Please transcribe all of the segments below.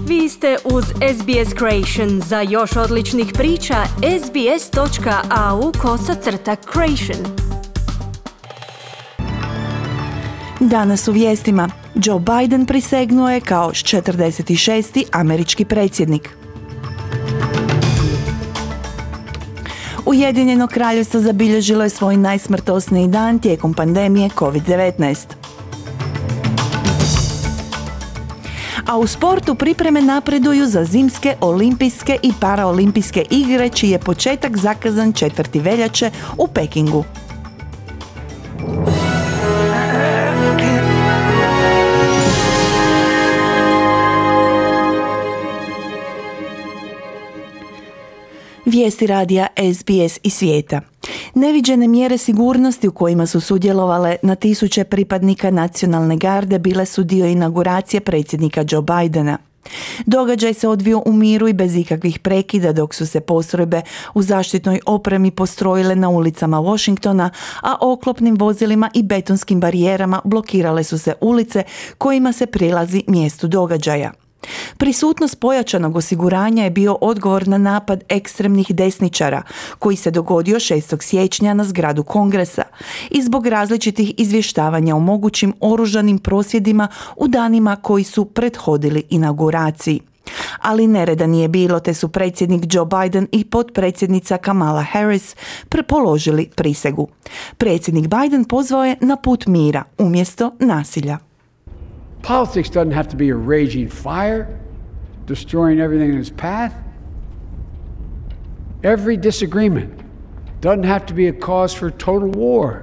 Vi ste uz SBS Creation. Za još odličnih priča, sbs.au/creation. Danas u vijestima. Joe Biden prisegnuo je kao 46. američki predsjednik. Ujedinjeno kraljevstvo zabilježilo je svoj najsmrtosniji dan tijekom pandemije COVID-19. A u sportu pripreme napreduju za zimske, olimpijske i paraolimpijske igre, čiji je početak zakazan 4. veljače u Pekingu. Vijesti radija SBS i svijeta. Neviđene mjere sigurnosti u kojima su sudjelovale na tisuće pripadnika nacionalne garde bile su dio inauguracije predsjednika Joe Bidena. Događaj se odvio u miru i bez ikakvih prekida dok su se postrojbe u zaštitnoj opremi postrojile na ulicama Washingtona, a oklopnim vozilima i betonskim barijerama blokirale su se ulice kojima se prilazi mjestu događaja. Prisutnost pojačanog osiguranja je bio odgovor na napad ekstremnih desničara koji se dogodio 6. siječnja na zgradu Kongresa i zbog različitih izvještavanja o mogućim oružanim prosvjedima u danima koji su prethodili inauguraciji. Ali nereda nije bilo, te su predsjednik Joe Biden i potpredsjednica Kamala Harris položili prisegu. Predsjednik Biden pozvao je na put mira umjesto nasilja. Politics doesn't have to be a raging fire, destroying everything in its path. Every disagreement doesn't have to be a cause for total war.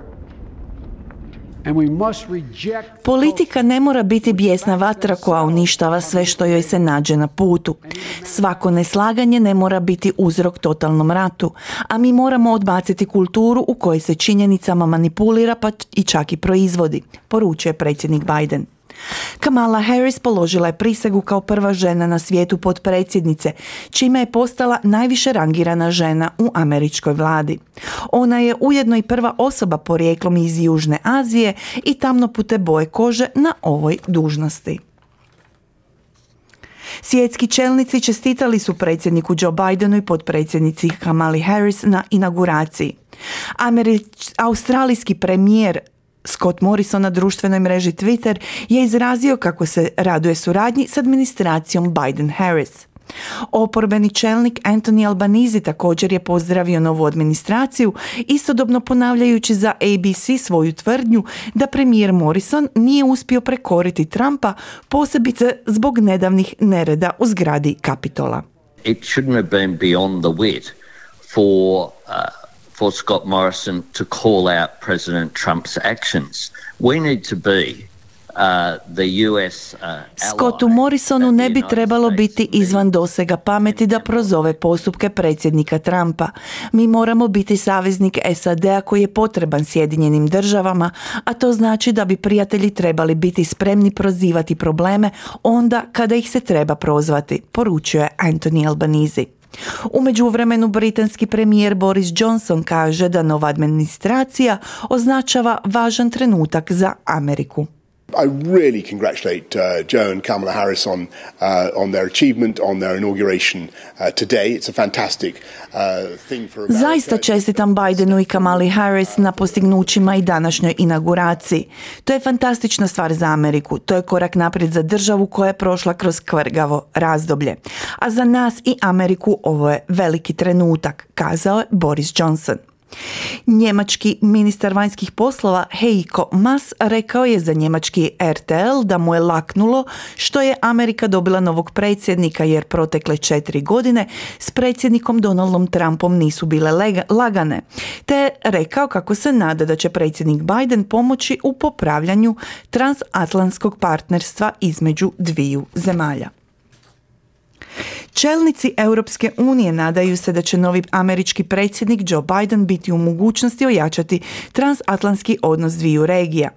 And we must reject... Politika ne mora biti bijesna vatra koja uništava sve što joj se nađe na putu. Svako neslaganje ne mora biti uzrok totalnom ratu, a mi moramo odbaciti kulturu u kojoj se činjenicama manipulira pa i čak i proizvodi, poručuje predsjednik Biden. Kamala Harris položila je prisegu kao prva žena na svijetu potpredsjednice, čime je postala najviše rangirana žena u američkoj vladi. Ona je ujedno i prva osoba porijeklom iz Južne Azije i tamnopute boje kože na ovoj dužnosti. Svjetski čelnici čestitali su predsjedniku Joe Bidenu i potpredsjednici Kamali Harris na inauguraciji. Australijski premijer Scott Morrison na društvenoj mreži Twitter je izrazio kako se raduje suradnji s administracijom Biden-Harris. Oporbeni čelnik Anthony Albanese također je pozdravio novu administraciju, istodobno ponavljajući za ABC svoju tvrdnju da premijer Morrison nije uspio prekoriti Trumpa, posebice zbog nedavnih nereda u zgradi Kapitola. It shouldn't have been beyond the wit for Scott Morrison to call out President Trump's actions. We need to be the US Scottu Morrisonu ne bi trebalo biti izvan dosega pameti da prozove postupke predsjednika Trumpa. Mi moramo biti saveznik SAD-a koji je potreban Sjedinjenim državama, a to znači da bi prijatelji trebali biti spremni prozivati probleme onda kada ih se treba prozvati, poručuje Anthony Albanese. U međuvremenu britanski premijer Boris Johnson kaže da nova administracija označava važan trenutak za Ameriku. I really congratulate Joe and Kamala Harris on their achievement, on their inauguration today. It's a fantastic thing for America. Zaista čestitam Bidenu i Kamali Harris na postignućima i današnjoj inauguraciji. To je fantastična stvar za Ameriku. To je korak naprijed za državu koja je prošla kroz kvrgavo razdoblje. A za nas i Ameriku ovo je veliki trenutak, kazao je Boris Johnson. Njemački ministar vanjskih poslova Heiko Maas rekao je za njemački RTL da mu je laknulo što je Amerika dobila novog predsjednika jer protekle 4 godine s predsjednikom Donaldom Trumpom nisu bile lagane, te je rekao kako se nada da će predsjednik Biden pomoći u popravljanju transatlantskog partnerstva između dviju zemalja. Čelnici Europske unije nadaju se da će novi američki predsjednik Joe Biden biti u mogućnosti ojačati transatlantski odnos dviju regija.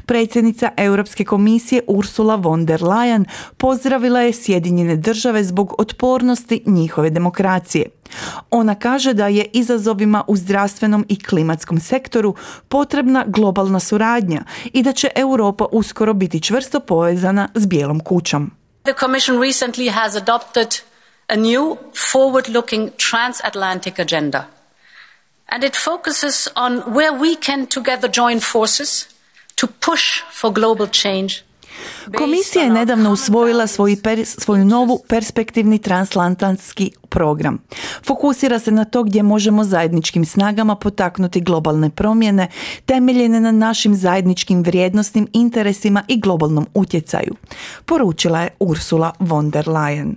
Predsjednica Europske komisije Ursula von der Leyen pozdravila je Sjedinjene države zbog otpornosti njihove demokracije. Ona kaže da je izazovima u zdravstvenom i klimatskom sektoru potrebna globalna suradnja i da će Europa uskoro biti čvrsto povezana s Bijelom kućom. The Commission recently has adopted a new forward-looking transatlantic agenda. And it focuses on where we can together join forces to push for global change. Komisija je nedavno usvojila svoju novu perspektivni transatlantski program. Fokusira se na to gdje možemo zajedničkim snagama potaknuti globalne promjene temeljene na našim zajedničkim vrijednosnim interesima i globalnom utjecaju, poručila je Ursula von der Leyen.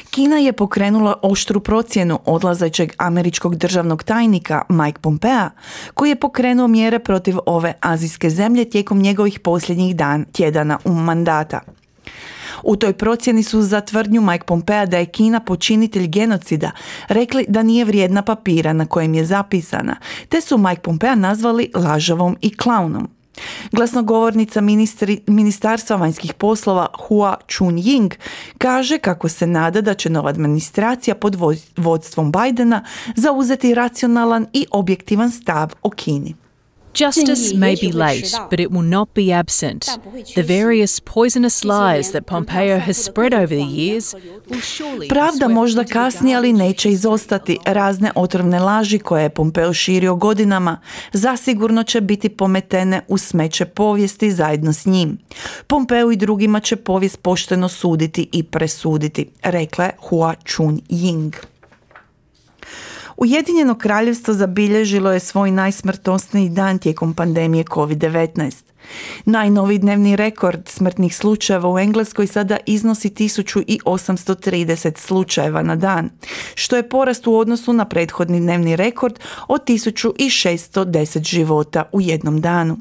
Kina je pokrenula oštru procjenu odlazećeg američkog državnog tajnika Mike Pompea, koji je pokrenuo mjere protiv ove azijske zemlje tijekom njegovih posljednjih tjedana u mandata. U toj procjeni su za tvrdnju Mike Pompea da je Kina počinitelj genocida rekli da nije vrijedna papira na kojem je zapisana, te su Mike Pompea nazvali lažovom i klaunom. Glasnogovornica Ministarstva vanjskih poslova Hua Chunying kaže kako se nada da će nova administracija pod vodstvom Bidena zauzeti racionalan i objektivan stav o Kini. Justice may be late, but it will not be absent. The various poisonous lies that Pompeo has spread over the years will surely... Pravda možda kasni, ali neće izostati. Razne otrovne laži koje je Pompeo širio godinama zasigurno će biti pometene u smeće povijesti zajedno s njim. Pompeo i drugima će povijest pošteno suditi i presuditi, rekla je Hua Chunying. Ujedinjeno kraljevstvo zabilježilo je svoj najsmrtnosniji dan tijekom pandemije COVID-19. Najnoviji dnevni rekord smrtnih slučajeva u Engleskoj sada iznosi 1830 slučajeva na dan, što je porast u odnosu na prethodni dnevni rekord od 1610 života u jednom danu.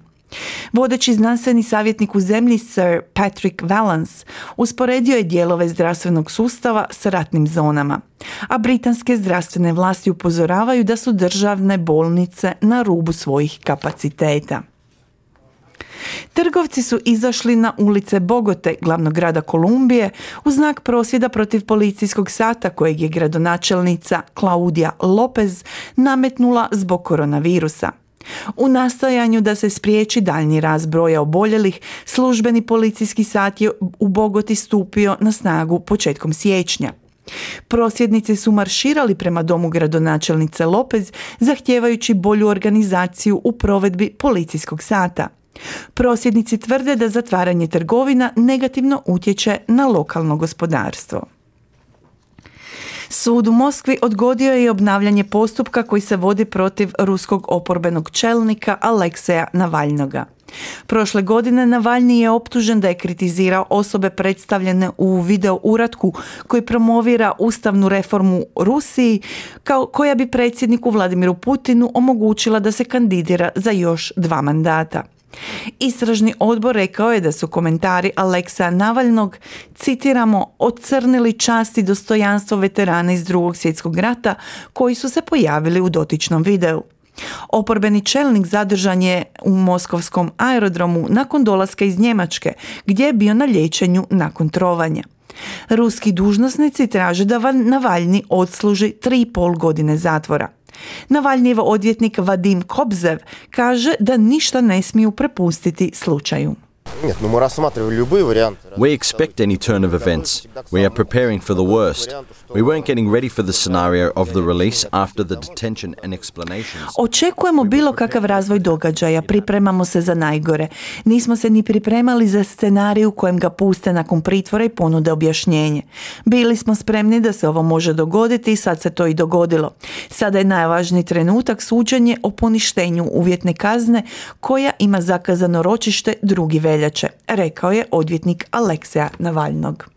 Vodeći znanstveni savjetnik u zemlji Sir Patrick Vallance usporedio je dijelove zdravstvenog sustava s ratnim zonama, a britanske zdravstvene vlasti upozoravaju da su državne bolnice na rubu svojih kapaciteta. Trgovci su izašli na ulice Bogote, glavnog grada Kolumbije, u znak prosvjeda protiv policijskog sata kojeg je gradonačelnica Claudia Lopez nametnula zbog koronavirusa. U nastojanju da se spriječi daljnji rast broja oboljelih, službeni policijski sat je u Bogoti stupio na snagu početkom siječnja. Prosvjednici su marširali prema domu gradonačelnice Lopez, zahtijevajući bolju organizaciju u provedbi policijskog sata. Prosvjednici tvrde da zatvaranje trgovina negativno utječe na lokalno gospodarstvo. Sud u Moskvi odgodio je obnavljanje postupka koji se vodi protiv ruskog oporbenog čelnika Alekseja Navalnoga. Prošle godine Navalni je optužen da je kritizirao osobe predstavljene u video uratku koji promovira ustavnu reformu Rusiji, koja bi predsjedniku Vladimiru Putinu omogućila da se kandidira za još 2 mandata. Istražni odbor rekao je da su komentari Alekseja Navalnog, citiramo, ocrnili čast i dostojanstvo veterana iz Drugog svjetskog rata koji su se pojavili u dotičnom videu. Oporbeni čelnik zadržan je u moskovskom aerodromu nakon dolaska iz Njemačke, gdje je bio na liječenju nakon trovanja. Ruski dužnosnici traže da Navalni odsluži 3,5 godine zatvora. Navalnijev odvjetnik Vadim Kobzev kaže da ništa ne smiju prepustiti slučaju. We expect any turn of events. We are preparing for the worst. We weren't getting ready for the scenario of the release after the detention and explanations. Očekujemo bilo kakav razvoj događaja, pripremamo se za najgore. Nismo se ni pripremali za scenarij u kojem ga puste nakon pritvora i ponude objašnjenje. Bili smo spremni da se ovo može dogoditi i sad se to i dogodilo. Sada je najvažniji trenutak suđenje o poništenju uvjetne kazne koja ima zakazano ročište 2. veljače, rekao je odvjetnik Alekseja Navalnog.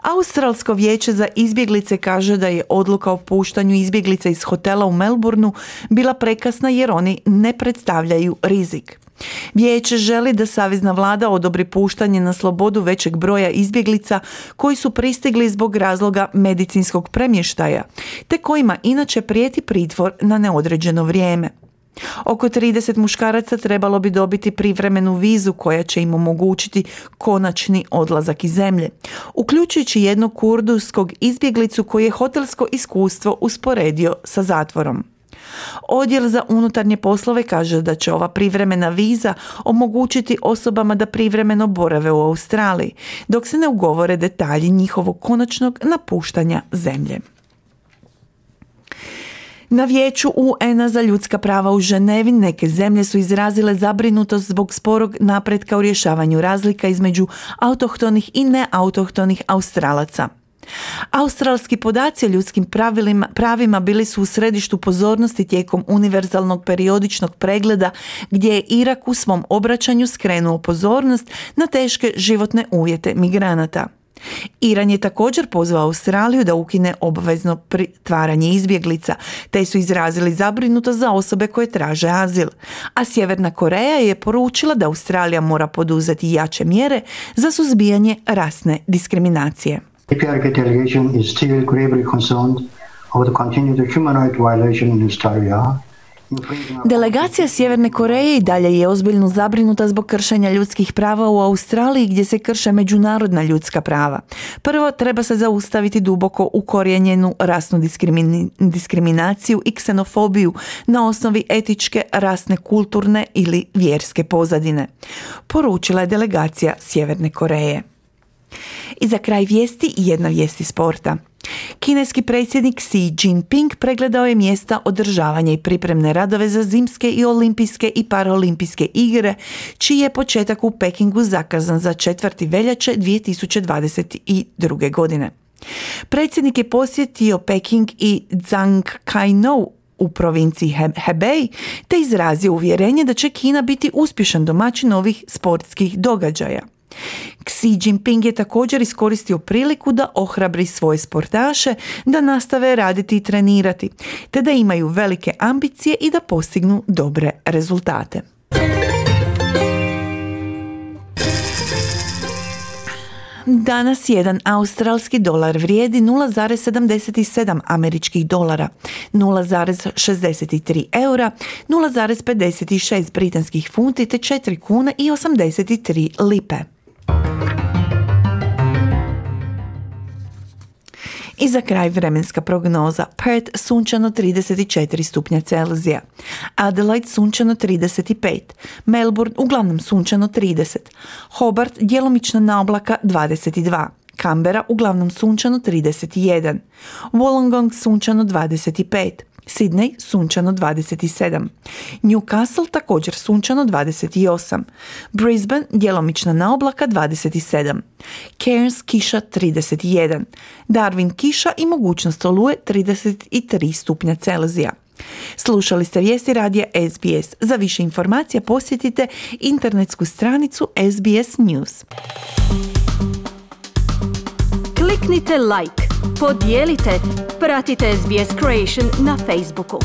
Australsko vijeće za izbjeglice kaže da je odluka o puštanju izbjeglica iz hotela u Melbourneu bila prekasna jer oni ne predstavljaju rizik. Vijeće želi da savezna vlada odobri puštanje na slobodu većeg broja izbjeglica koji su pristigli zbog razloga medicinskog premještaja, te kojima inače prijeti pritvor na neodređeno vrijeme. Oko 30 muškaraca trebalo bi dobiti privremenu vizu koja će im omogućiti konačni odlazak iz zemlje, uključujući jednog kurdskog izbjeglicu koji je hotelsko iskustvo usporedio sa zatvorom. Odjel za unutarnje poslove kaže da će ova privremena viza omogućiti osobama da privremeno borave u Australiji, dok se ne ugovore detalji njihovog konačnog napuštanja zemlje. Na Vijeću UN-a za ljudska prava u Ženevi neke zemlje su izrazile zabrinutost zbog sporog napretka u rješavanju razlika između autohtonih i neautohtonih Australaca. Australski podaci o ljudskim pravima bili su u središtu pozornosti tijekom univerzalnog periodičnog pregleda gdje je Irak u svom obraćanju skrenuo pozornost na teške životne uvjete migranata. Iran je također pozvao Australiju da ukine obavezno pritvaranje izbjeglica, te su izrazili zabrinutost za osobe koje traže azil, a Sjeverna Koreja je poručila da Australija mora poduzeti jače mjere za suzbijanje rasne diskriminacije. APRK delegation is still gravely concerned over the continued human rights violation in Australia. Delegacija Sjeverne Koreje i dalje je ozbiljno zabrinuta zbog kršenja ljudskih prava u Australiji gdje se krše međunarodna ljudska prava. Prvo, treba se zaustaviti duboko ukorijenjenu rasnu diskriminaciju i ksenofobiju na osnovi etičke, rasne, kulturne ili vjerske pozadine, poručila je delegacija Sjeverne Koreje. I za kraj vijesti jedna vijest iz sporta. Kineski predsjednik Xi Jinping pregledao je mjesta održavanja i pripremne radove za zimske i olimpijske i paraolimpijske igre, čiji je početak u Pekingu zakazan za 4. veljače 2022. godine. Predsjednik je posjetio Peking i Zhangjiakou u provinciji Hebei, te izrazio uvjerenje da će Kina biti uspješan domaćin ovih sportskih događaja. Xi Jinping je također iskoristio priliku da ohrabri svoje sportaše da nastave raditi i trenirati, te da imaju velike ambicije i da postignu dobre rezultate. Danas jedan australski dolar vrijedi 0,77 američkih dolara, 0,63 eura, 0,56 britanskih funti te 4 kuna i 83 lipe. I za kraj vremenska prognoza. Perth sunčano 34 stupnja Celzija. Adelaide sunčano 35. Melbourne uglavnom sunčano 30. Hobart djelomično na oblaka 22. Canberra uglavnom sunčano 31. Wollongong sunčano 25. Sydney sunčano 27. Newcastle također sunčano 28. Brisbane djelomična na oblaka 27. Cairns kiša 31. Darwin kiša i mogućnost oluje 33 stupnja Celzija. Slušali ste vijesti radija SBS. Za više informacija posjetite internetsku stranicu SBS News. Kliknite like, podijelite, pratite SBS Creation na Facebooku.